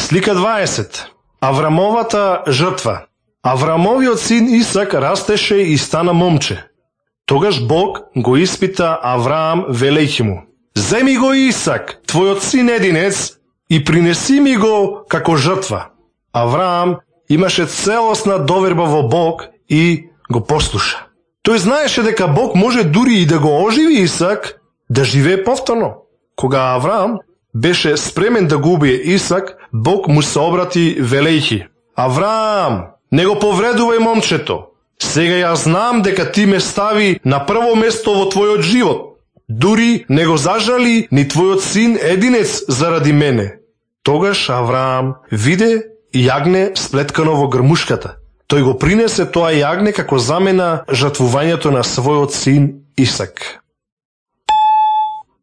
Слика 20. Аврамовата жртва. Аврамовиот син Исак растеше и стана момче. Тогаш Бог го испита Авраам велејќи му: земи го Исак, твојот син единец, и принеси ми го како жртва. Авраам имаше целосна доверба во Бог и го послуша. Тој знаеше дека Бог може дури и да го оживи Исак да живее повторно. Кога Авраам беше спремен да го убие Исак, Бог му се обрати велејќи: Авраам, не го повредувај момчето. Сега ја знам дека ти ме стави на прво место во твојот живот. Дури не го зажали ни твојот син единец заради мене. Тогаш Авраам виде јагне сплеткано во грмушката. Тој го принесе тоа јагне како замена жртвувањето на својот син Исак.